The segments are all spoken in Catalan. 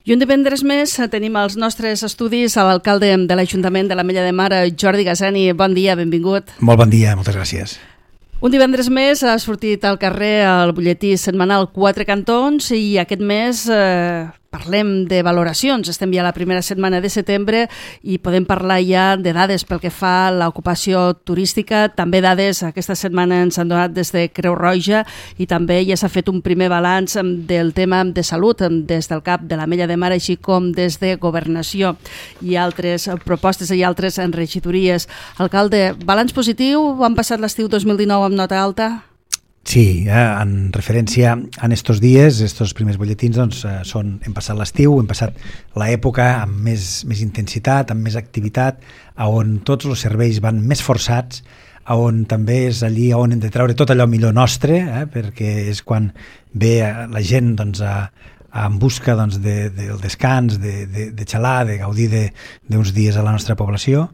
I un divendres més tenim als nostres estudis a l'alcalde de l'Ajuntament de l'Ametlla de Mar, Jordi Gassani. Bon dia, benvingut. Molt bon dia, moltes gràcies. Un divendres més ha sortit al carrer el butlletí setmanal Quatre Cantons i aquest mes parlem de valoracions. Estem ja a la primera setmana de setembre i podem parlar ja de dades pel que fa a l'ocupació turística. També dades aquesta setmana ens han donat des de Creu Roja i també ja s'ha fet un primer balanç del tema de salut des del CAP de l'Ametlla de Mar, així com des de Governació i altres propostes i altres regidories. Alcalde, balanç positiu? Han passat l'estiu 2019 amb nota alta? Sí, en referència a estos dies, estos primers butlletins, doncs, hem passat l'estiu, hem passat l'època amb més intensitat, amb més activitat, on tots els serveis van més forçats, on també és allí on hem de treure tot allò millor nostre, perquè és quan ve la gent doncs, en busca doncs, del descans, de xalar, de gaudir d'uns dies a la nostra població,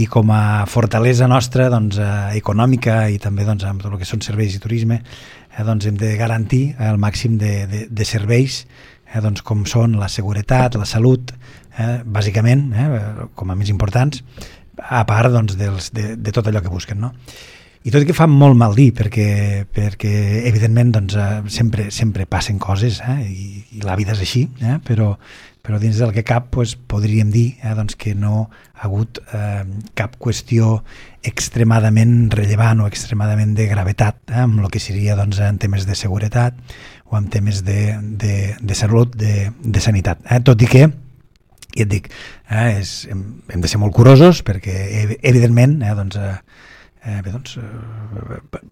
i com a fortalesa nostra doncs, econòmica i també doncs, amb tot el que són serveis i turisme, doncs, hem de garantir el màxim de serveis doncs, com són la seguretat, la salut, bàsicament, com a més importants, a part doncs, de tot allò que busquen, no? I tot i que fa molt mal dir, perquè evidentment doncs, sempre passen coses, i la vida és així, però dins del que cap doncs, podríem dir doncs, que no ha hagut cap qüestió extremadament rellevant o extremadament de gravetat amb el que seria doncs, en temes de seguretat o en temes de salut, de sanitat. Tot i que, ja et dic, hem de ser molt curosos perquè evidentment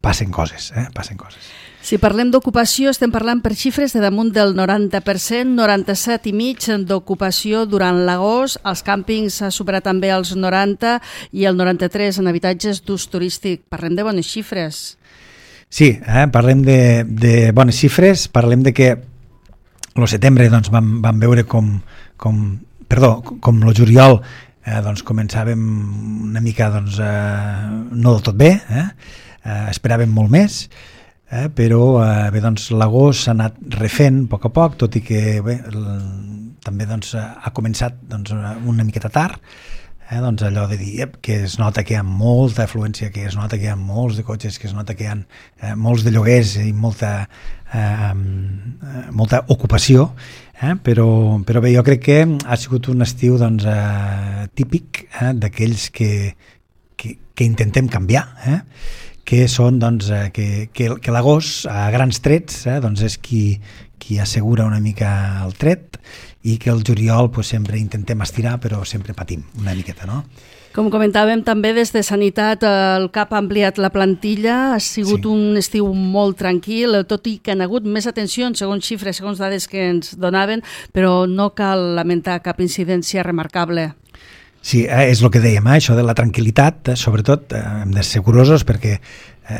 passen coses. Si parlem d'ocupació, estem parlant per xifres de damunt del 90%, 97,5% d'ocupació durant l'agost. Els càmpings ha superat també els 90 i el 93% en habitatges d'ús turístic. Parlem de bones xifres. Sí, parlem de bones xifres, parlem de que el setembre doncs, vam veure com el juliol doncs començàvem una mica doncs, no del tot bé, esperàvem molt més, però doncs, l'agost s'ha anat refent a poc, tot i que també doncs, ha començat doncs, una miqueta tard, doncs allò de dir que es nota que hi ha molta afluència, que es nota que hi ha molts de cotxes, que es nota que hi ha molts de lloguers i molta ocupació, però bé, jo crec que ha sigut un estiu doncs, típic d'aquells que intentem canviar, que són doncs, que l'agost a grans trets doncs, és qui assegura una mica el tret i que el juliol pues, sempre intentem estirar però sempre patim una miqueta, no? Com comentàvem també des de Sanitat, el CAP ha ampliat la plantilla, ha sigut un estiu molt tranquil, tot i que han hagut més atencions, segons xifres, segons dades que ens donaven, però no cal lamentar cap incidència remarcable. Sí, és el que dèiem, això de la tranquil·litat, sobretot hem de ser curosos perquè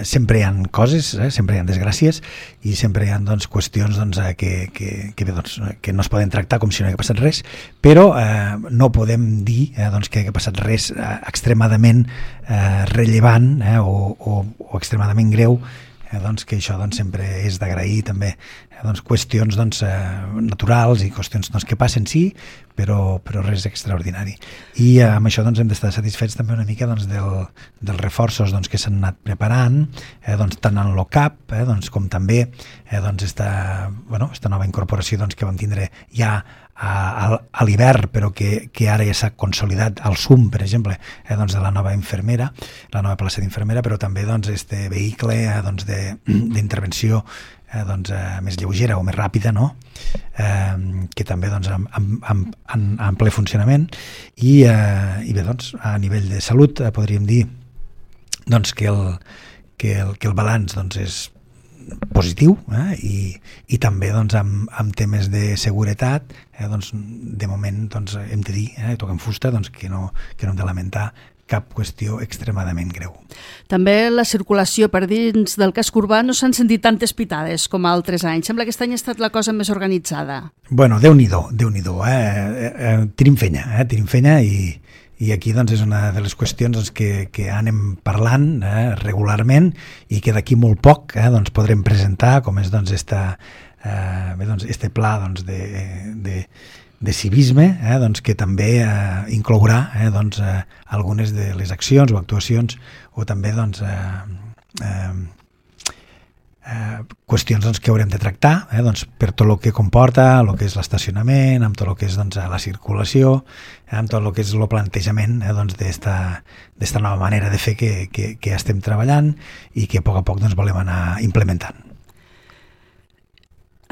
sempre hi ha coses, sempre hi ha desgràcies i sempre hi ha doncs, qüestions doncs, que no es poden tractar com si no hagués passat res, però no podem dir doncs, que hagués passat res extremadament rellevant o extremadament greu, doncs, que això doncs, sempre és d'agrair també doncs, qüestions doncs, naturals i qüestions doncs, que passen sí, però res extraordinari. I amb això doncs, hem d'estar satisfets també una mica doncs, dels reforços doncs, que s'han anat preparant, doncs, tant en l'OCAP doncs, com també doncs, esta nova incorporació doncs, que vam tindre ja a l'hivern, però que ara ja s'ha consolidat al SUM, per exemple, doncs, de la nova infermera, la nova plaça d'infermera, però també doncs, este vehicle doncs, d'intervenció doncs, més lleugera o més ràpida, no? Que també doncs, en ple funcionament i bé, doncs, a nivell de salut podríem dir doncs, que el balanç doncs, és positiu i també doncs, amb temes de seguretat doncs, de moment doncs, hem de dir, toquem fusta, doncs, que no hem de lamentar cap qüestió extremadament greu. També la circulació per dins del casc urbà no s'han sentit tantes pitades com altres anys. Sembla que aquest any ha estat la cosa més organitzada. Bueno, Déu-n'hi-do. Tenim feina i aquí doncs, és una de les qüestions doncs, que anem parlant regularment i que d'aquí molt poc doncs, podrem presentar, com és doncs, este pla doncs, civisme, doncs, que també inclourà doncs, algunes de les accions o actuacions o també doncs, qüestions doncs, que haurem de tractar doncs, per tot el que comporta el que és l'estacionament, amb tot el que és doncs, la circulació, amb tot el que és el plantejament doncs, d'esta nova manera de fer que estem treballant i que a poc doncs, volem anar implementant.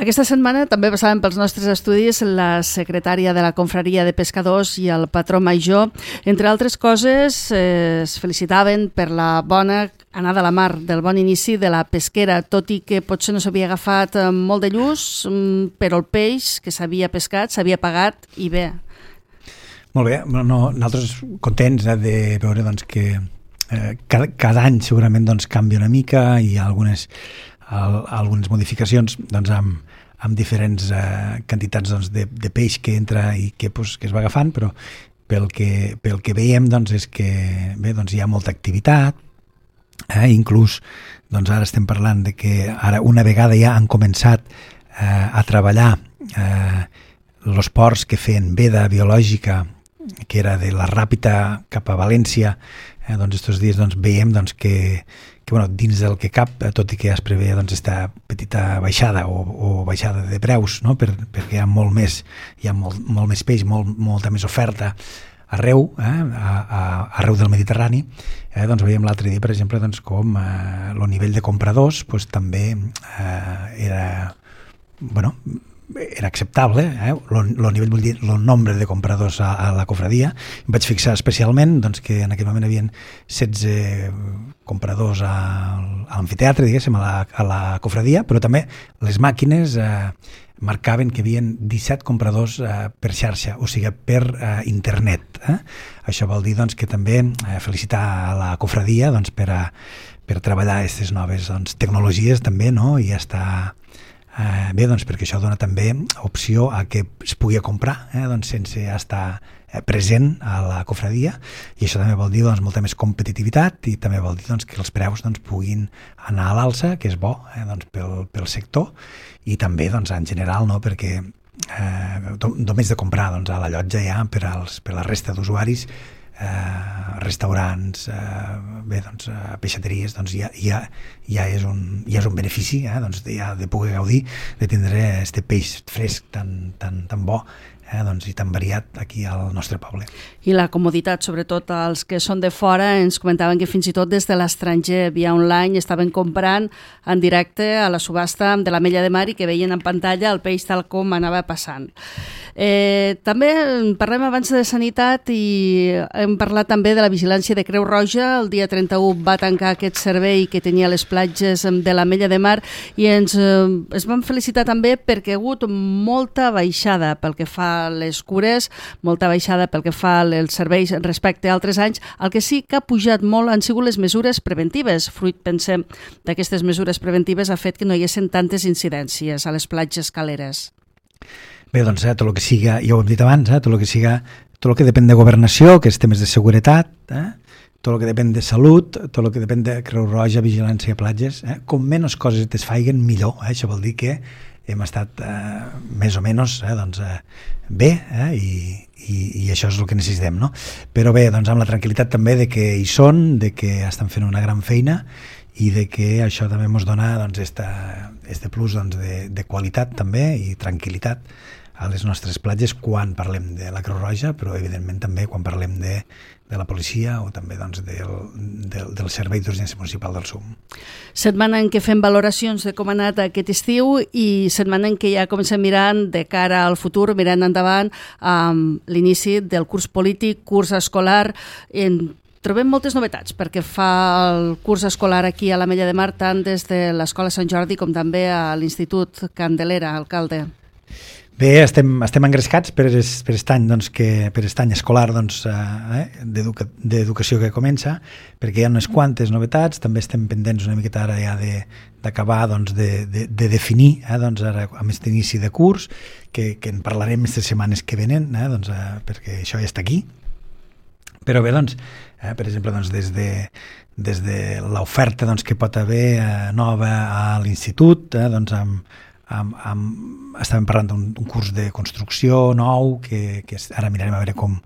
Aquesta setmana també passaven pels nostres estudis la secretària de la Confraria de Pescadors i el patró major. Entre altres coses, es felicitaven per la bona anada a la mar, del bon inici de la pesquera, tot i que potser no s'havia agafat molt de lluç, però el peix que s'havia pescat s'havia pagat i bé. Molt bé, nosaltres contents de veure doncs, que cada any segurament doncs, canvia una mica i hi ha algunes modificacions doncs, amb diferents quantitats doncs, de peix que entra i que es va agafant, però pel que veiem doncs, és que bé, doncs, hi ha molta activitat, inclús doncs, ara estem parlant de que ara una vegada ja han començat a treballar els ports que feien veda biològica, que era de la Ràpita cap a València, doncs estos dies doncs, veiem doncs, que bueno, dins del que cap, tot i que ja es prevé doncs, esta petita baixada o baixada de preus, no? perquè hi ha molt més peix, molta més oferta arreu, arreu del Mediterrani, doncs veiem l'altre dia, per exemple, doncs, com el nivell de compradors doncs, també era acceptable, el nivell, vull dir, el nombre de compradors a la cofradia. Em vaig fixar especialment doncs, que en aquell moment hi havia 16 compradors a l'amfiteatre, diguéssim, a la cofradia, però també les màquines marcaven que hi havia 17 compradors per xarxa, o sigui, per internet. Això vol dir doncs, que també felicitar a la cofradia doncs, per treballar aquestes noves doncs, tecnologies també, no? I estar bé, doncs, perquè això dona també opció a que es pugui comprar doncs, sense estar present a la cofradia, i això també vol dir doncs, molta més competitivitat i també vol dir doncs, que els preus doncs, puguin anar a l'alça, que és bo doncs, pel sector i també doncs, en general, no? Perquè només de comprar doncs, a la llotja ja per la resta d'usuaris, restaurants, bé, doncs, peixateries, doncs ja és un benefici doncs, de poder gaudir de tindre este peix fresc tan bo doncs, i tan variat aquí al nostre poble. I la comoditat, sobretot els que són de fora, ens comentaven que fins i tot des de l'estranger, via online, estaven comprant en directe a la subhasta de l'Ametlla de Mar i que veien en pantalla el peix tal com anava passant. També parlem abans de sanitat i hem parlat també de la vigilància de Creu Roja. El dia 31 va tancar aquest servei que tenia a les platges de l'Ametlla de Mar i es vam felicitar també perquè ha hagut molta baixada pel que fa a les cures, molta baixada pel que fa als serveis respecte a altres anys. El que sí que ha pujat molt han sigut les mesures preventives. Fruit, pensem, d'aquestes mesures preventives ha fet que no hi haguessin tantes incidències a les platges caleres. Bé, doncs, tot el que siga, ja ho hem dit abans, tot el que depèn de governació, que és temes de seguretat, tot el que depèn de salut, tot el que depèn de Creu Roja, vigilància a platges, com menys coses es faiguen, millor. Això vol dir que hem estat més o menys doncs, bé i això és el que necessitem, no? Però bé, doncs amb la tranquil·litat també de que hi són, de que estan fent una gran feina i de que això també ens dona doncs, este plus doncs, de qualitat també i tranquil·litat a les nostres platges quan parlem de la Creu Roja, però evidentment també quan parlem de la policia o també doncs, del Servei d'Urgència Municipal del SUM. Setmana en què fem valoracions de com ha anat aquest estiu i setmana en què ja comencem mirant de cara al futur, mirant endavant amb l'inici del curs polític, curs escolar. Trobem moltes novetats perquè fa el curs escolar aquí a l'Ametlla de Mar, tant des de l'Escola Sant Jordi com també a l'Institut Candelera, alcalde. Bé, estem engrescats per aquest any, doncs, per aquest any escolar doncs, d'educació que comença, perquè hi ha unes quantes novetats, també estem pendents una miqueta ara ja d'acabar doncs, de definir doncs, ara, amb aquest inici de curs, que en parlarem aquestes setmanes que venen, doncs, perquè això ja està aquí. Però bé, doncs, per exemple, doncs, des de l'oferta doncs, que pot haver nova a l'institut, doncs, estàvem parlant d'un curs de construcció nou, que ara mirarem a veure com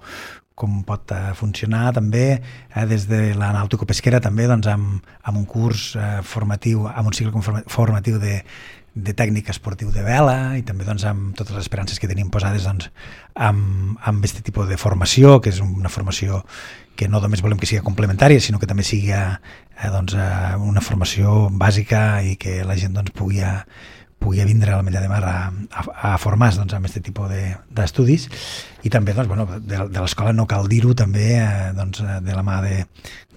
pot funcionar també, des de la nàutico-pesquera també, doncs, amb un curs formatiu, amb un cicle formatiu de tècnica esportiu de vela, i també doncs, amb totes les esperances que tenim posades doncs, amb aquest tipus de formació, que és una formació que no només volem que sigui complementària, sinó que també sigui doncs, una formació bàsica i que la gent doncs, pugui vindre a la Mella de Mar a formar-se doncs, amb aquest tipus d'estudis. I també doncs, bueno, de l'escola no cal dir-ho, també doncs, de la mà de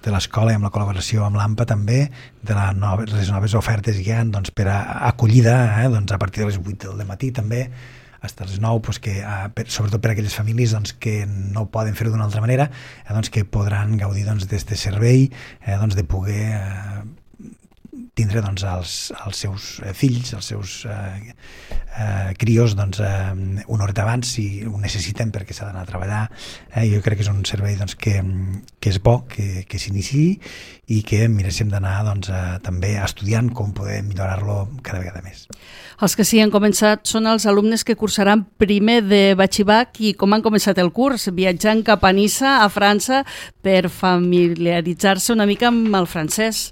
l'escola i amb la col·laboració amb l'AMPA també, de les noves ofertes que hi ha doncs, per a acollida, doncs, a partir de les 8 del matí també, fins a les 9, doncs, que, sobretot per a aquelles famílies doncs, que no poden fer-ho d'una altra manera, doncs, que podran gaudir d'aquest servei, doncs, de poder tindre doncs, els seus fills, els seus crios doncs, una horeta abans si ho necessiten perquè s'ha d'anar a treballar. Jo crec que és un servei doncs, que és bo que s'iniciï i que miréssim d'anar doncs, també estudiant com poder millorar-lo cada vegada més. Els que sí han començat són els alumnes que cursaran primer de batxibac i com han començat el curs, viatjant cap a Niça, a França, per familiaritzar-se una mica amb el francès.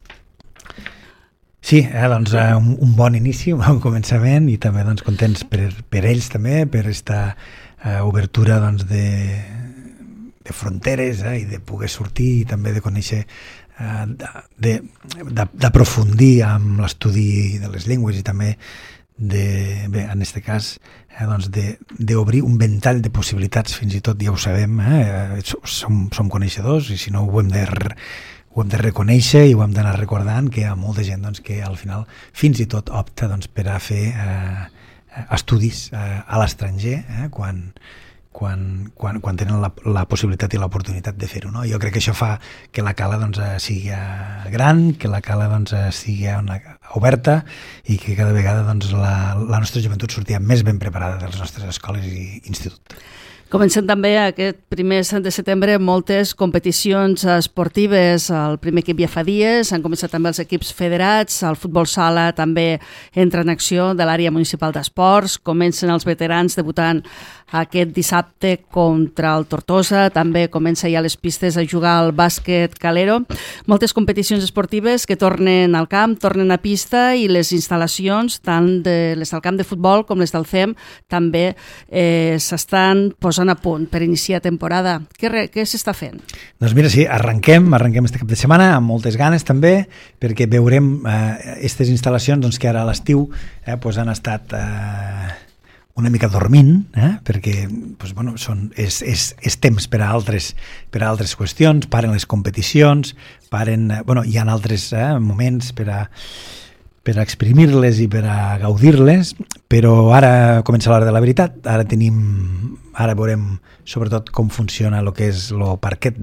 Sí, doncs un bon inici, un bon començament i també doncs, contents per ells també, per aquesta obertura doncs, de fronteres i de poder sortir i també de conèixer, d'aprofundir amb l'estudi de les llengües i també bé, en aquest cas doncs d'obrir un ventall de possibilitats, fins i tot ja ho sabem, som coneixedors i si no ho hem de reconèixer i ho hem d'anar recordant que hi ha molta gent doncs, que al final fins i tot opta doncs, per a fer estudis a l'estranger quan tenen la possibilitat i l'oportunitat de fer-ho. No? Jo crec que això fa que la cala doncs, sigui gran, que la cala doncs, sigui oberta i que cada vegada doncs, la nostra joventut sortia més ben preparada de les nostres escoles i institut. Comencem també aquest primer de setembre moltes competicions esportives. El primer equip ja fa dies, han començat també els equips federats, el futbol sala també entra en acció de l'àrea municipal d'esports, comencen els veterans debutant aquest dissabte contra el Tortosa, també comença ja les pistes a jugar al bàsquet calero. Moltes competicions esportives que tornen al camp, tornen a pista i les instal·lacions, tant les del camp de futbol com les del CEM, també s'estan posant a punt per iniciar temporada. Què s'està fent? Doncs mira, sí, arrenquem este cap de setmana amb moltes ganes també, perquè veurem aquestes instal·lacions doncs, que ara a l'estiu han estat una mica dormint, perquè doncs, bueno, és temps per a altres qüestions, paren les competicions, hi ha altres moments per a exprimir-les i per a gaudir-les, però ara comença l'hora de la veritat, ara veurem sobretot com funciona el que és el parquet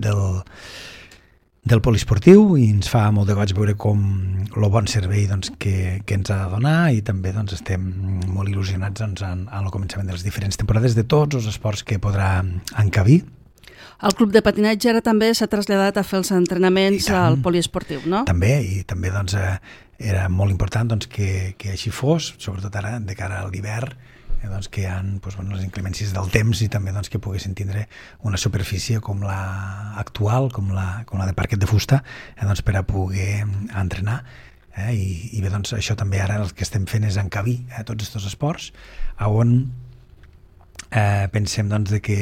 del poliesportiu i ens fa molt de goig veure com el bon servei doncs, que ens ha de donar i també doncs, estem molt il·lusionats doncs, en el començament de les diferents temporades de tots els esports que podrà encabir. El club de patinatge ara també s'ha traslladat a fer els entrenaments al poliesportiu, no? També, i també doncs, era molt important doncs, que així fos, sobretot ara de cara a l'hivern, doncs, que hi ha les inclemències del temps i també doncs, que poguessin tindre una superfície com la actual, com la de parquet de fusta, doncs, per a poder entrenar. I bé, doncs, això també ara el que estem fent és encabir tots aquests esports, on pensem doncs, que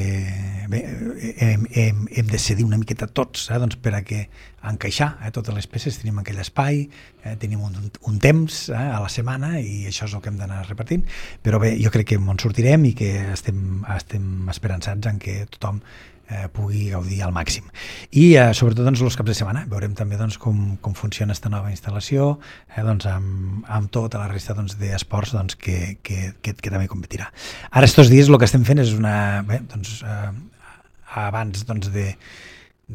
bé, hem de cedir una miqueta tots doncs, per a que encaixar totes les peces, tenim aquell espai, tenim un temps a la setmana i això és el que hem d'anar repartint, però bé, jo crec que en sortirem i que estem esperançats en que tothom pugui gaudir al màxim. I sobretot doncs, els caps de setmana veurem també doncs, com funciona aquesta nova instal·lació doncs, amb tota la resta doncs, d'esports doncs, que també competirà. Ara estos dies el que estem fent és abans doncs,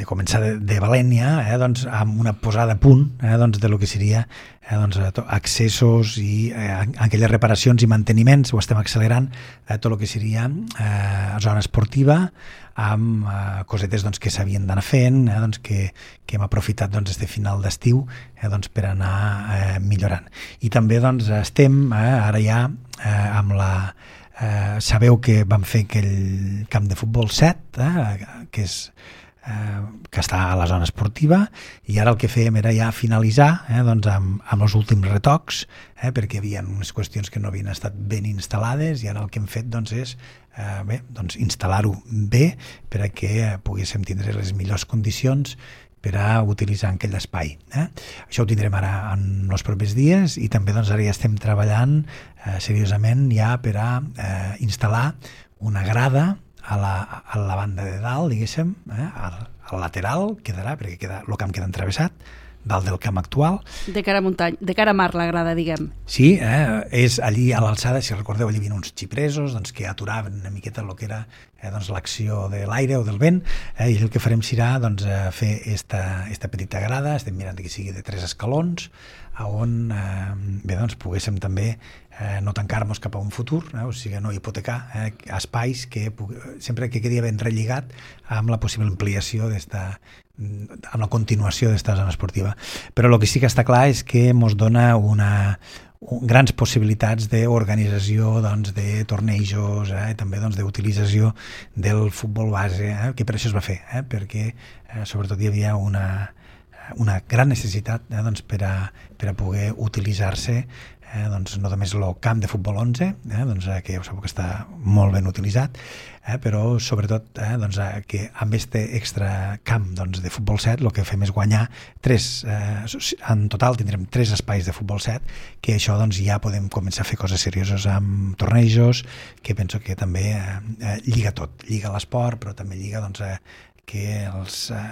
començar de valent ja, doncs, amb una posada a punt doncs, de lo que seria doncs, accessos i aquelles reparacions i manteniments, ho estem accelerant, tot el que seria zona esportiva, amb cosetes doncs, que s'havien d'anar fent, doncs, que hem aprofitat doncs, este final d'estiu doncs, per anar millorant. I també doncs, estem ara ja amb la... sabeu que vam fer aquell camp de futbol 7, que està a la zona esportiva, i ara el que fèiem era ja finalitzar doncs, amb els últims retocs, perquè hi havia unes qüestions que no havien estat ben instal·lades, i ara el que hem fet doncs, és doncs, instal·lar-ho bé perquè poguéssim tindre les millors condicions per a utilitzar aquell espai. Això ho tindrem ara en els propers dies, i també doncs, ara ja estem treballant seriosament ja per a instal·lar una grada a la banda de dalt, diguéssim, al lateral quedarà, perquè el camp queda entravessat, dalt del camp actual. De cara a muntanya, de cara a mar, la grada, diguem. Sí, és allí a l'alçada, si recordeu, allí hi havia uns xipresos doncs, que aturaven una miqueta el que era doncs, l'acció de l'aire o del vent, i el que farem serà doncs, fer esta petita grada, estem mirant que sigui de 3 escalons, on doncs, poguéssim també no tancar-nos cap a un futur, o sigui, no hipotecar espais que sempre que quedi ben relligat amb la possible ampliació amb la continuació d'esta zona esportiva. Però el que sí que està clar és que ens dona grans possibilitats d'organització doncs, de tornejos, també doncs, d'utilització del futbol base, que per això es va fer, perquè sobretot hi havia una gran necessitat doncs, per a poder utilitzar-se doncs, no només el camp de futbol 11, doncs, que ja ho sabeu que està molt ben utilitzat, però sobretot doncs, que amb aquest extra camp doncs, de futbol 7 el que fem és guanyar en total tindrem 3 espais de futbol 7, que això doncs, ja podem començar a fer coses serioses amb tornejos, que penso que també lliga tot, lliga l'esport, però també lliga doncs, que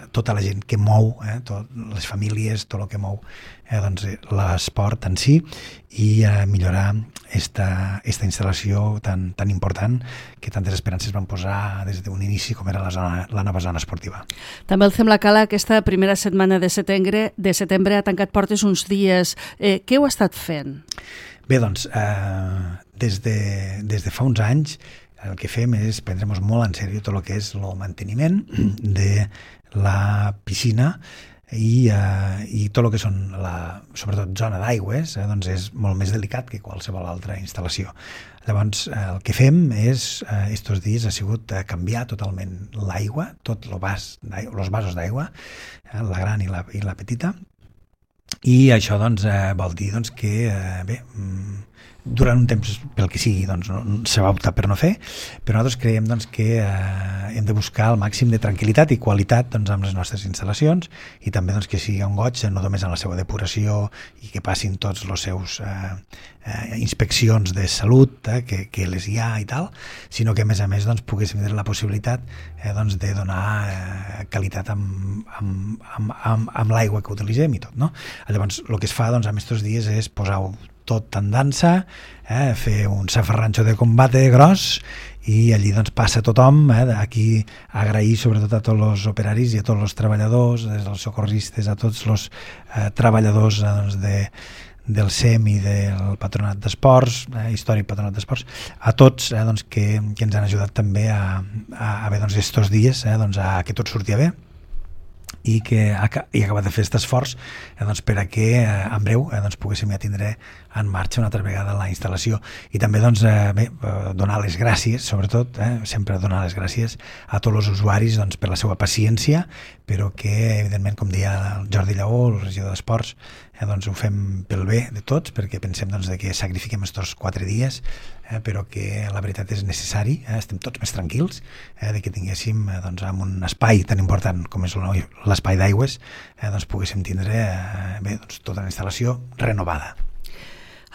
tota la gent que mou, les famílies, tot el que mou doncs, l'esport en si, i millorar esta instal·lació tan important que tantes esperances van posar des d'un inici com era la nova zona esportiva. També el Fem la Cala aquesta primera setmana de setembre ha tancat portes uns dies. Què heu estat fent? Bé, doncs, des de fa uns anys el que fem és prendre'ns molt en sèrio tot el que és el manteniment de la piscina i tot el que són sobretot zona d'aigües, doncs és molt més delicat que qualsevol altra instal·lació. Llavors el que fem és, estos dies ha sigut canviar totalment l'aigua, tots els vasos d'aigua, la gran i la petita, i això doncs, vol dir doncs, que bé, durant un temps, pel que sigui, doncs, se va optar per no fer, però nosaltres creiem doncs, que hem de buscar el màxim de tranquil·litat i qualitat doncs, amb les nostres instal·lacions, i també doncs, que sigui un goig, no només en la seva depuració i que passin tots els seus inspeccions de salut que les hi ha i tal, sinó que a més doncs, poguéssim tenir la possibilitat doncs, de donar qualitat amb l'aigua que utilitzem i tot. No? Llavors el que es fa doncs, en aquests dies és posar-ho tot en dansa, fer un safarranxo de combate gros, i allí doncs, passa tothom, aquí agrair sobretot a tots els operaris i a tots els treballadors, des dels socorristes, a tots els treballadors doncs, del SEM i del Patronat d'Esports, històric Patronat d'Esports, a tots doncs, que ens han ajudat també a bé, doncs, estos dies doncs, a que tot sortia bé, i que ha acabat de fer aquest esforç doncs, per a que en breu doncs, poguéssim ja tindre en marxa una altra vegada la instal·lació. I també doncs, bé, donar les gràcies, sobretot, sempre donar les gràcies a tots els usuaris doncs, per la seva paciència, però que, evidentment, com deia el Jordi Lleó, el regidor d'Esports, doncs, ho fem pel bé de tots, perquè pensem doncs, que sacrifiquem aquests 4 dies, però que la veritat és necessari, estem tots més tranquils de que tinguéssim doncs, en un espai tan important com és l'espai d'aigües, doncs, poguéssim tindre bé, doncs, tota la instal·lació renovada.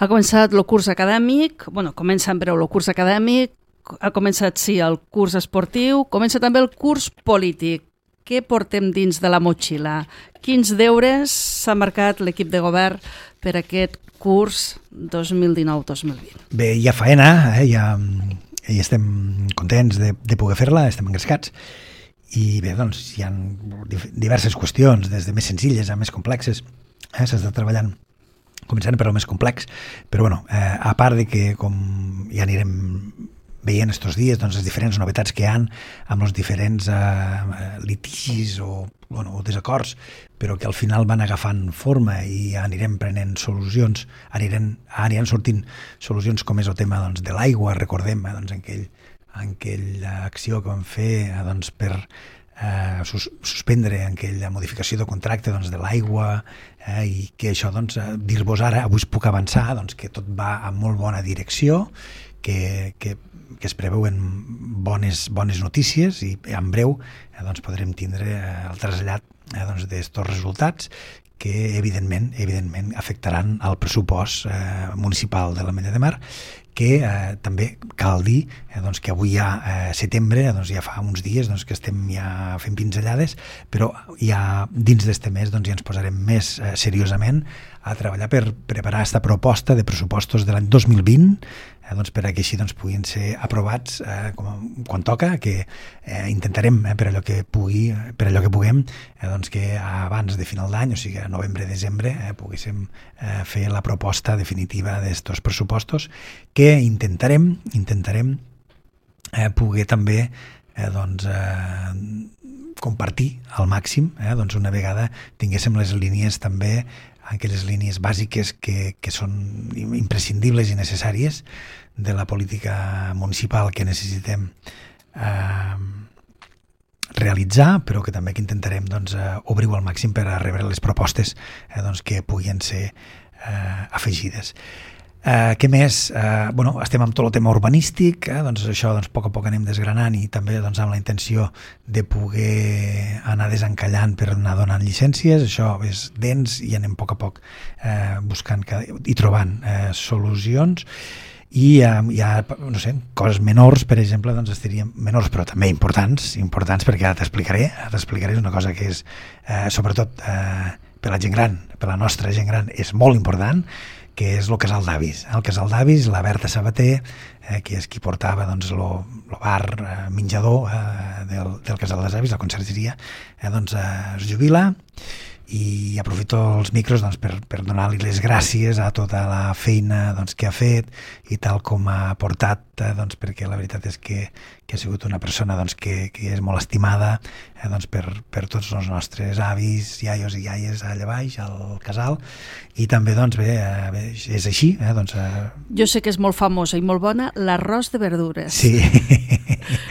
Ha començat el curs acadèmic, comença en breu el curs acadèmic, ha començat, sí, el curs esportiu, comença també el curs polític. Què portem dins de la motxilla? Quins deures s'ha marcat l'equip de govern per aquest curs 2019-2020? Bé, hi ha faena, ja estem contents de poder fer-la, estem engrescats, i bé, doncs hi ha diverses qüestions, des de més senzilles a més complexes. S'està treballant començant per el més complex, però bueno, a part de que com ja anirem veient estos dies doncs, les diferents novetats que hi ha amb els diferents litigis o desacords, però que al final van agafant forma i anirem prenent solucions, aniran sortint solucions com és el tema doncs, de l'aigua, recordem doncs, aquella acció que vam fer doncs, per suspendre aquella modificació de contracte doncs, de l'aigua i que això, doncs, dir-vos ara, avui es puc avançar doncs, que tot va en molt bona direcció, que es preveuen bones notícies i en breu doncs, podrem tindre el trasllat doncs, d'estos resultats que evidentment afectaran el pressupost municipal de l'Ametlla de Mar, que també cal dir doncs, que avui ja setembre, doncs, ja fa uns dies doncs, que estem ja fent pinzellades, però ja dins d'este mes doncs, ja ens posarem més seriosament a treballar per preparar aquesta proposta de pressupostos de l'any 2020 doncs, per a que així doncs, puguin ser aprovats quan toca, que intentarem per allò que puguem doncs, que abans de final d'any, o sigui a novembre-desembre, poguéssim fer la proposta definitiva d'estos pressupostos que intentarem poder també doncs, compartir al màxim, doncs una vegada tinguéssim les línies també, aquelles línies bàsiques que són imprescindibles i necessàries de la política municipal que necessitem realitzar, però que també que intentarem doncs, obrir-ho al màxim per a rebre les propostes doncs, que puguin ser afegides. Què més? Estem amb tot el tema urbanístic, doncs això doncs, a poc anem desgranant i també doncs, amb la intenció de poder anar desencallant per anar donant llicències. Això és dens i anem a poc buscant i trobant solucions. I hi ha, no sé, coses menors, per exemple, doncs estaríem menors, però també importants perquè ara t'explicaré, és una cosa que és, sobretot per la gent gran, per la nostra gent gran, és molt important, que és el casal d'avis. El casal d'avis, la Berta Sabater, que és qui portava doncs, el bar menjador del casal dels avis, la consergeria, doncs es jubila, i aprofito els micros doncs, per donar-li les gràcies a tota la feina doncs, que ha fet i tal com ha portat, doncs, perquè la veritat és que ha sigut una persona doncs, que és molt estimada doncs, per tots els nostres avis, iaios i iaies allà baix, al casal, i també doncs, bé, és així. Doncs, jo sé que és molt famosa i molt bona l'arròs de verdures. Sí.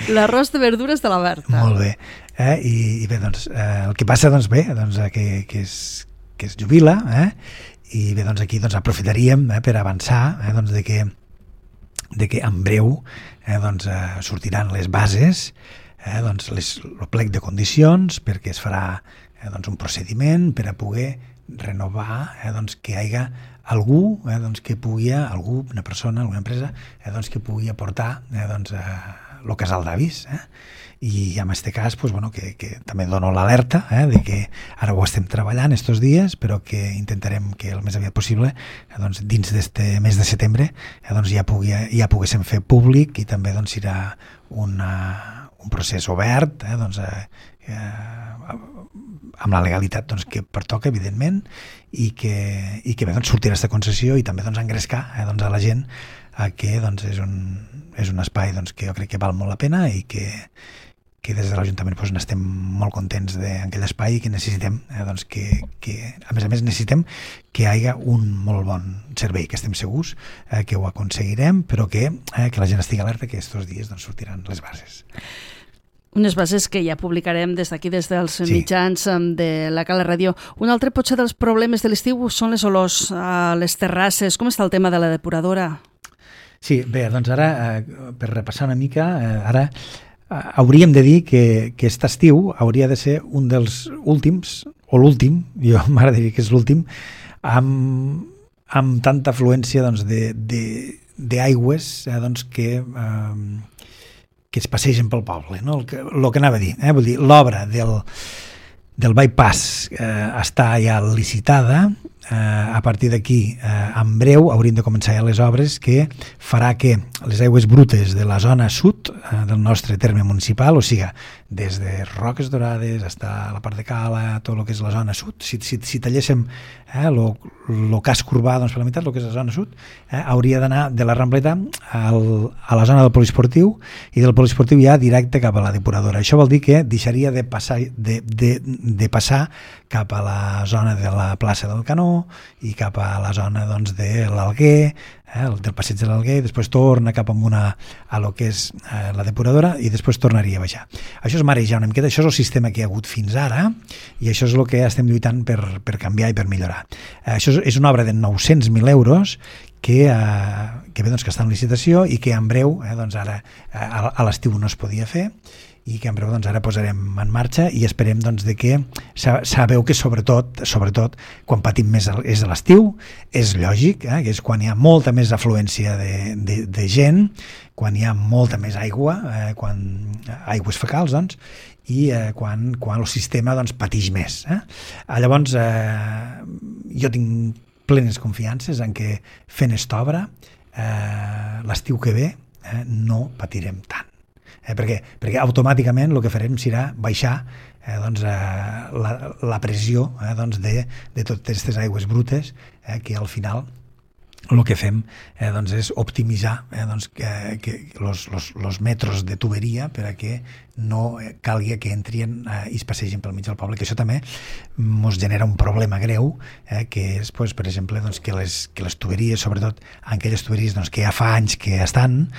L'arròs de verdures de la Berta. Molt bé. I bé, doncs, el que passa, doncs, bé, doncs, que es jubila, i bé, doncs, aquí doncs, aprofitaríem per avançar doncs, de que en breu doncs, sortiran les bases, doncs, el plec de condicions, perquè es farà doncs, un procediment per a poder renovar doncs, que hi hagi algú doncs, que pugui, una persona, alguna empresa, doncs, que pugui aportar doncs, el casal d'avis, i en aquest cas doncs, bueno, que també dono l'alerta de que ara ho estem treballant estos dies, però que intentarem que el més aviat possible doncs, dins d'este mes de setembre doncs, ja poguéssim fer públic, i també doncs, serà un procés obert doncs, amb la legalitat doncs, que pertoca, evidentment, i que bé, doncs, sortirà aquesta concessió i també doncs, engrescar doncs, a la gent que doncs, és un espai doncs, que jo crec que val molt la pena i que des de l'Ajuntament doncs, n'estem molt contents d'aquell espai i que necessitem doncs, que a més necessitem que hi hagi un molt bon servei, que estem segurs que ho aconseguirem, però que la gent estigui alerta que aquests dies doncs, sortiran les bases. Unes bases que ja publicarem des d'aquí, des dels mitjans de la Cala Ràdio. Un altre potser dels problemes de l'estiu són les olors a les terrasses. Com està el tema de la depuradora? Sí, bé, doncs ara, per repassar una mica, ara hauríem de dir que aquest estiu hauria de ser un dels últims, o l'últim, jo m'agradaria que és l'últim, amb tanta afluència doncs, d'aigües doncs, que es passegen pel poble, no? El que anava a dir, vull dir, l'obra del bypass està ja licitada, a partir d'aquí, en breu, hauríem de començar ja les obres que farà que les aigües brutes de la zona sud del nostre terme municipal, o sigui, des de Roques Dorades fins a la part de Cala, tot el que és la zona sud, si talléssim el casc urbà doncs, per la meitat, el que és la zona sud, hauria d'anar de la Rambleta a la zona del poliesportiu i del poliesportiu ja directe cap a la depuradora. Això vol dir que deixaria de passar cap a la zona de la plaça del Canó i cap a la zona doncs, de l'Alguer, del passeig de l'Alguer, i després torna cap a lo que és la depuradora i després tornaria a baixar. Això és marejar una miqueta, això és el sistema que hi ha hagut fins ara i això és el que estem lluitant per canviar i per millorar. Això és una obra de 900.000 euros que bé, doncs, que està en licitació i que en breu, doncs ara a l'estiu no es podia fer i que en breu doncs, ara posarem en marxa i esperem doncs, de que sabeu que sobretot quan patim més és a l'estiu, és lògic, que és quan hi ha molta més afluència de gent, quan hi ha molta més aigua, aigües fecals, doncs, i quan el sistema doncs, patix més. Llavors, jo tinc plenes confiances en que fent esta obra l'estiu que ve no patirem tant. Perquè automàticament el que farem serà baixar la pressió de totes aquestes aigües brutes que al final el que fem és optimitzar els metres de tuberia per a que no calgui que entrin i es passegin pel mig del poble, que això també ens genera un problema greu, que és, per exemple, que les tuberies, sobretot aquelles tuberies que ja fa anys que estan,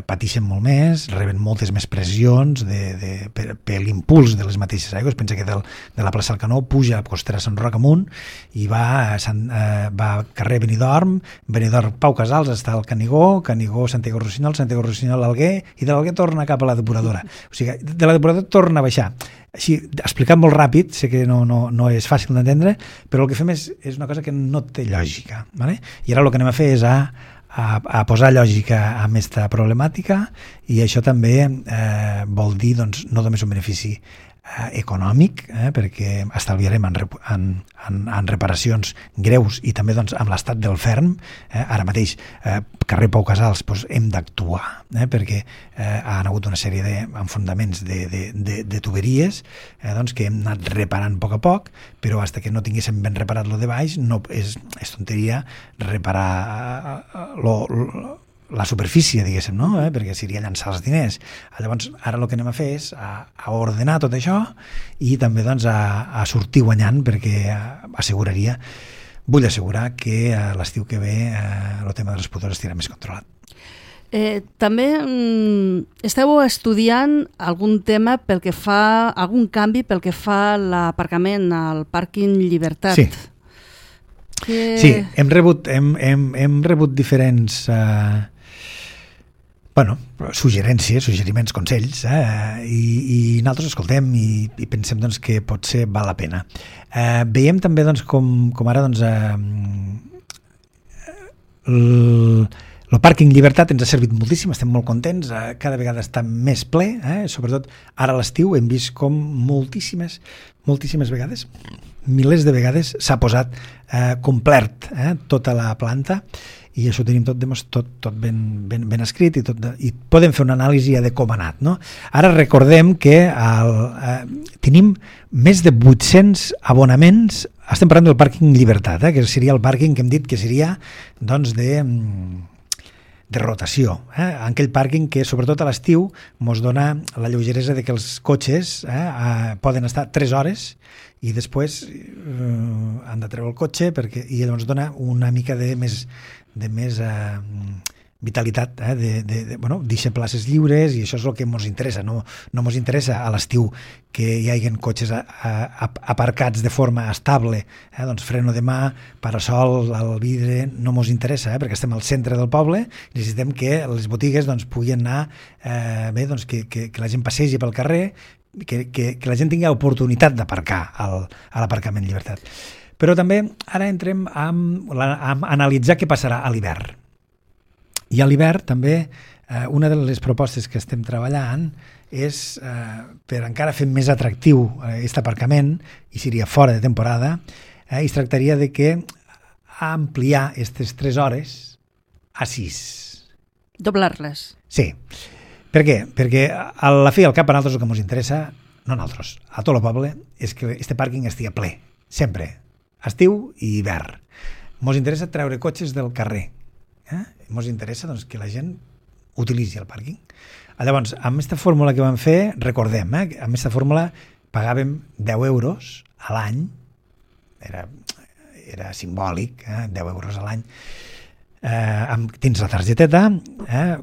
pateixen molt més, reben moltes més pressions per l'impuls de les mateixes aigües. Pensa que de la plaça del Canó puja a Costera Sant Roc amunt i va carrer Benidorm, Pau Casals està al Canigó, Santiago Rossinyol, Santiago Rossinyol l'Alguer, i de l'Alguer torna cap a la depuradora. O sigui, de la depuradora torna a baixar. Així, explicat molt ràpid, sé que no és fàcil d'entendre, però el que fem és una cosa que no té lògica. ¿Vale? I ara el que anem a fer és a posar lògica a aquesta problemàtica i això també vol dir doncs, no només un benefici econòmic, perquè estalviarem en reparacions greus i també doncs, amb l'estat del ferm. Ara mateix, carrer Pau Casals, doncs, hem d'actuar, perquè han hagut una sèrie d'enfondaments de tuberies doncs, que hem anat reparant a poc, però fins que no tinguéssim ben reparat lo de baix, no és tonteria reparar la superfície, diguéssim, no? Perquè seria llançar els diners. Llavors, ara el que anem a fer és a ordenar tot això i també doncs, a sortir guanyant, perquè vull assegurar que l'estiu que ve el tema de les pudors estarà més controlat. També esteu estudiant algun tema algun canvi pel que fa a l'aparcament al pàrquing Llibertat. Sí. Sí, hem rebut diferents suggeriments, consells, i nosaltres escoltem i pensem doncs, que potser val la pena. Veiem també doncs, com ara doncs, el pàrquing Llibertat ens ha servit moltíssim, estem molt contents, cada vegada està més ple, sobretot ara a l'estiu hem vist com moltíssimes vegades, milers de vegades s'ha posat complert tota la planta i això ho tenim tot ben escrit i podem fer una anàlisi de com ha anat. No? Ara recordem que tenim més de 800 abonaments, estem parlant del pàrquing Llibertat, que seria el pàrquing que hem dit que seria doncs, de rotació, aquell pàrquing que sobretot a l'estiu ens dona la lleugeresa de que els cotxes poden estar 3 hores i després han de treure el cotxe i llavors dona una mica de més vitalitat, deixar places lliures i això és el que ens interessa. No ens interessa a l'estiu que hi hagi cotxes aparcats de forma estable, doncs freno de mà, parasol, el vidre, no ens interessa, perquè estem al centre del poble i necessitem que les botigues doncs, puguin anar que la gent passegi pel carrer, que la gent tingui oportunitat d'aparcar a l'aparcament Llibertat. Però també ara entrem a analitzar què passarà a l'hivern. I a l'hivern també una de les propostes que estem treballant és per encara fer més atractiu aquest aparcament, i seria fora de temporada, i es tractaria de que ampliar aquestes 3 hores a 6. Doblar-les. Sí. Per què? Perquè a la fi al cap a nosaltres el que ens interessa, no a nosaltres, a tot el poble, és que este pàrquing estigui ple, sempre, estiu i hivern. Ens interessa treure cotxes del carrer. Ens interessa doncs, que la gent utilitzi el pàrquing. Llavors, amb aquesta fórmula que vam fer, recordem, amb aquesta fórmula pagàvem 10 euros a l'any, era simbòlic, 10 euros a l'any, dins la targeteta,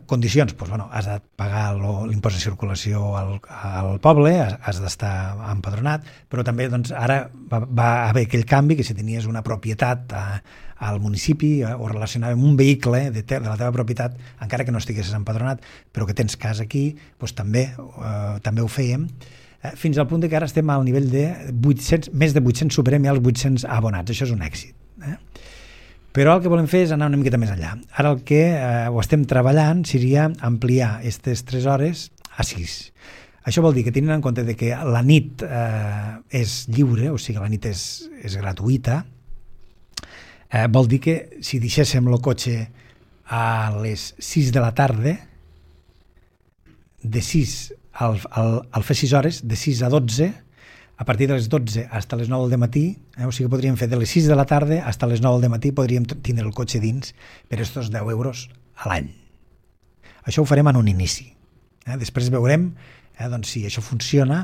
condicions, has de pagar l'impost de circulació al poble, has d'estar empadronat, però també ara va haver aquell canvi que si tenies una propietat al municipi o relacionada amb un vehicle de la teva propietat, encara que no estiguessis empadronat, però que tens casa aquí, també ho fèiem, fins al punt que ara estem al nivell de 800, més de 800, superem ja els 800 abonats. Això és un èxit. Però el que volem fer és anar una miqueta més enllà. Ara el que ho estem treballant seria ampliar aquestes 3 hores a 6. Això vol dir que tenint en compte que la nit és lliure, o sigui, la nit és gratuïta, vol dir que si deixéssim el cotxe a les 6 de la tarda, de 6 al fer 6 hores, de 6 a 12, a partir de les 12 fins a les 9 del matí, o sigui que podríem fer de les 6 de la tarda fins a les 9 del matí, podríem tindre el cotxe dins per aquests 10 euros a l'any. Això ho farem en un inici. Després veurem si això funciona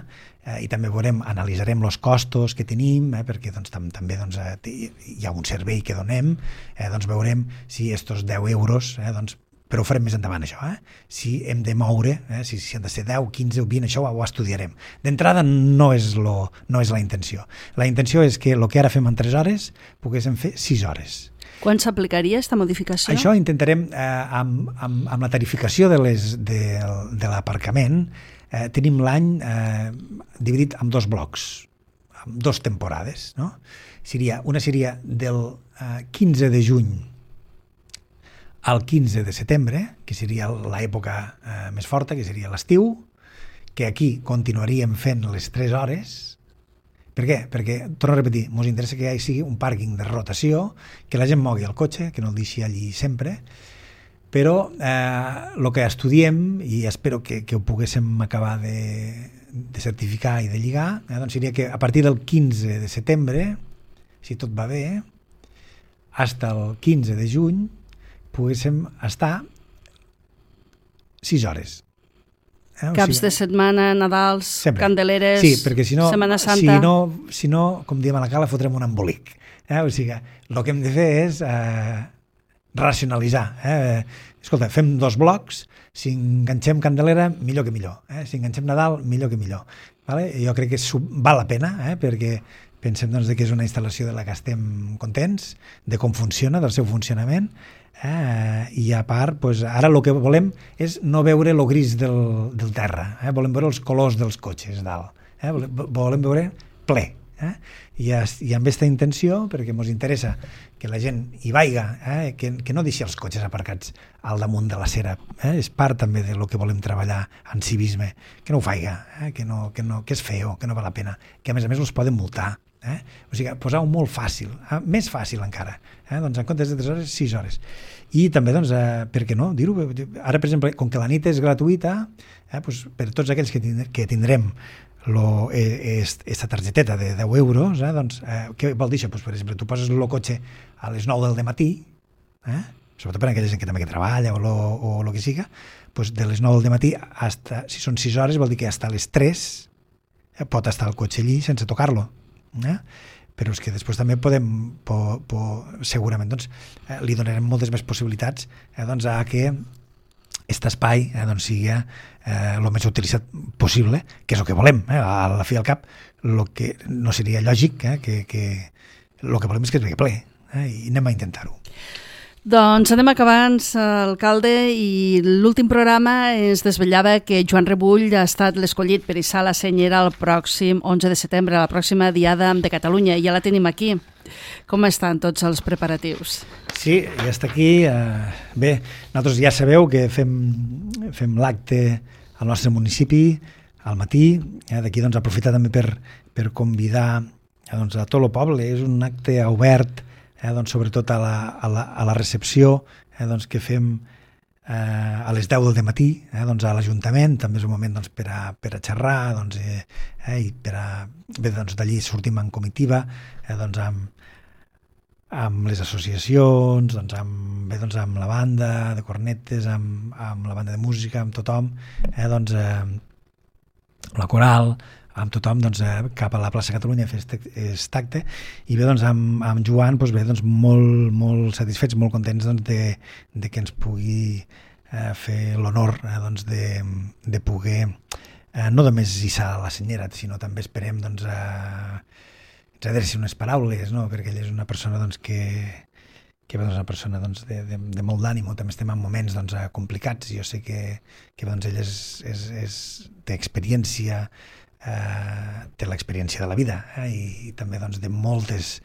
i també analitzarem els costos que tenim, perquè també hi ha un servei que donem, veurem si aquests 10 euros, però ho farem més endavant, això. Si hem de moure, si han de ser 10, 15 o 20, això ho estudiarem. D'entrada no és la intenció. La intenció és que el que ara fem en 3 hores poguéssim fer 6 hores. Quan s'aplicaria aquesta modificació? Això intentarem, amb la tarificació de l'aparcament, tenim l'any dividit en 2 blocs, en 2 temporades. Una seria del 15 de juny al 15 de setembre, que seria l'època més forta, que seria l'estiu, que aquí continuaríem fent les 3 hores. Per què? Perquè, torno a repetir, ens interessa que hi sigui un pàrquing de rotació, que la gent mogui el cotxe, que no el deixi allí sempre, però el que estudiem, i espero que ho poguéssim acabar de certificar i de lligar, seria que a partir del 15 de setembre, si tot va bé, fins al 15 de juny, poguéssim estar 6 hores. Caps de setmana, Nadals, sempre. Candeleres, sí, perquè si no, Setmana Santa... Si no, com diem a la cala, fotrem un embolic. O sigui, el que hem de fer és racionalitzar. Escolta, fem 2 blocs, si enganxem Candelera, millor que millor. Si enganxem Nadal, millor que millor. Jo crec que val la pena, perquè pensem que és una instal·lació de la que estem contents, de com funciona, del seu funcionament, i a part, ara el que volem és no veure el gris del terra, volem veure els colors dels cotxes dalt, volem veure ple, i amb aquesta intenció, perquè ens interessa que la gent hi vaiga, que no deixi els cotxes aparcats al damunt de la cera, és part també del que volem treballar en civisme, que no ho faiga, que és feo, que no val la pena, que a més els poden multar. O sigui, posar-ho molt fàcil, més fàcil encara, en comptes de 3 hores, 6 hores. I també, per què no dir-ho? Ara, per exemple, com que la nit és gratuïta, per tots aquells que tindrem aquesta targeteta de 10 euros, què vol dir això? Per exemple, tu poses el cotxe a les 9 del matí, sobretot per aquella gent que també treballa o el que siga, de les 9 del matí, si són 6 hores, vol dir que fins a les 3 pot estar el cotxe allí sense tocar-lo. Però és que després també segurament li donarem moltes més possibilitats a que aquest espai sigui el més utilitzat possible, que és el que volem. A la fi al cap, el que no seria lògic, que el que volem és que es vegi ple, i anem a intentar-ho. Doncs anem acabant, alcalde, i l'últim programa ens desvetllava que Joan Rebull ha estat l'escollit per hissar la senyera el pròxim 11 de setembre, la pròxima Diada de Catalunya, i ja la tenim aquí. Com estan tots els preparatius? Sí, ja està aquí. Bé, nosaltres ja sabeu que fem l'acte al nostre municipi al matí. D'aquí aprofitar també per convidar doncs a tot el poble. És un acte obert, doncs sobretot a la recepció, doncs que fem a les 10 del matí, doncs a l'Ajuntament. També és un moment doncs, per a xerrar, doncs, i bé, doncs, d'allí sortim en comitiva, doncs, amb les associacions, doncs, amb la banda de cornetes, amb la banda de música, amb tothom, doncs, la coral, amb tothom, doncs, cap a la plaça Catalunya a fer aquest acte. I bé, doncs, amb Joan, doncs, bé, doncs, molt satisfets, molt contents, doncs, de que ens pugui fer l'honor, doncs, de poder no només hissar la senyera, sinó també esperem, doncs, ens adreçi unes paraules, no? Perquè ell és una persona, doncs, que és una persona, doncs, de molt d'ànim. També estem en moments, doncs, complicats, i jo sé que doncs, ell té experiència, té l'experiència de la vida, i també, doncs, de moltes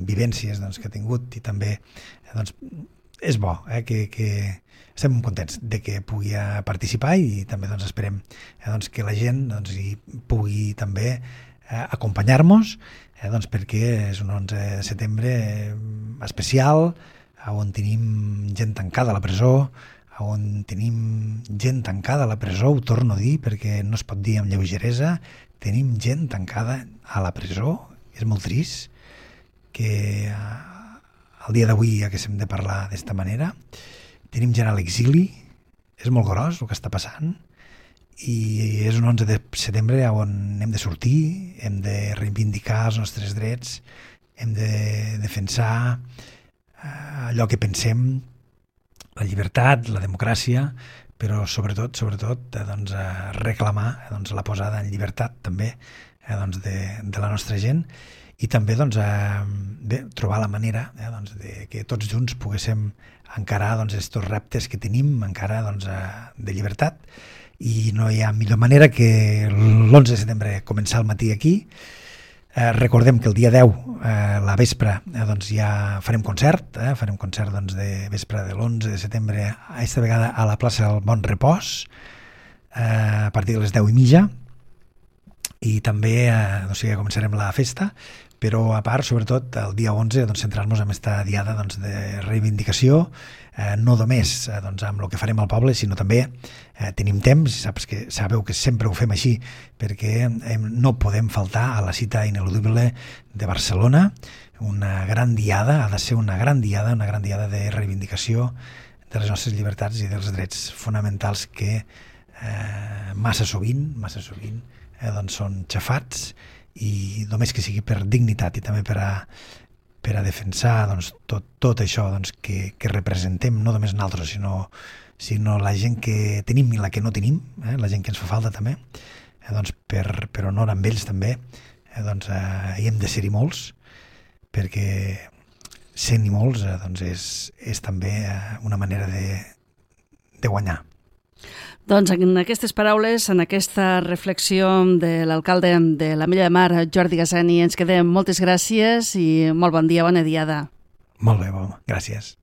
vivències, doncs, que ha tingut, i també, doncs, és bo, que estem contents de que pugui participar, i també, doncs, esperem, doncs, que la gent, doncs, hi pugui també acompanyar-nos, doncs, perquè és un 11 de setembre especial, on tenim gent tancada a la presó, on tenim gent tancada a la presó, ho torno a dir perquè no es pot dir amb lleugeresa, tenim gent tancada a la presó. És molt trist que el dia d'avui haguéssim de parlar d'esta manera. Tenim gent a l'exili, és molt gros el que està passant, i és un 11 de setembre on hem de sortir, hem de reivindicar els nostres drets, hem de defensar allò que pensem, la llibertat, la democràcia, però sobretot doncs, reclamar, doncs, la posada en llibertat també, doncs, de la nostra gent, i també, doncs, bé, trobar la manera, doncs, de que tots junts poguéssim encarar, doncs, estos reptes que tenim encara, doncs, de llibertat. I no hi ha millor manera que l'11 de setembre començar al matí aquí. Recordem que el dia 10, la vespre, doncs ja farem concert, doncs, de vespre de l'11 de setembre, aquesta vegada a la plaça del Bon Repòs, a partir de les 10:30, i també començarem la festa, però a part, sobretot, el dia 11, doncs, centrar-nos en aquesta diada, doncs, de reivindicació, no només, doncs, amb el que farem al poble, sinó també tenim temps, sabeu que sempre ho fem així, perquè no podem faltar a la cita ineludible de Barcelona, una gran diada, ha de ser una gran diada de reivindicació de les nostres llibertats i dels drets fonamentals que massa sovint doncs, són xafats, i només que sigui per dignitat i també per a defensar, doncs, tot això, doncs, que representem, no només nosaltres, sinó la gent que tenim i la que no tenim, la gent que ens fa falta també, doncs, per honor amb ells també, doncs, hi hem de ser-hi molts, perquè sent-hi molts, doncs, és també una manera de guanyar. Doncs en aquestes paraules, en aquesta reflexió de l'alcalde de l'Ametlla de Mar, Jordi Gassani, ens quedem. Moltes gràcies i molt bon dia, bona diada. Molt bé, gràcies.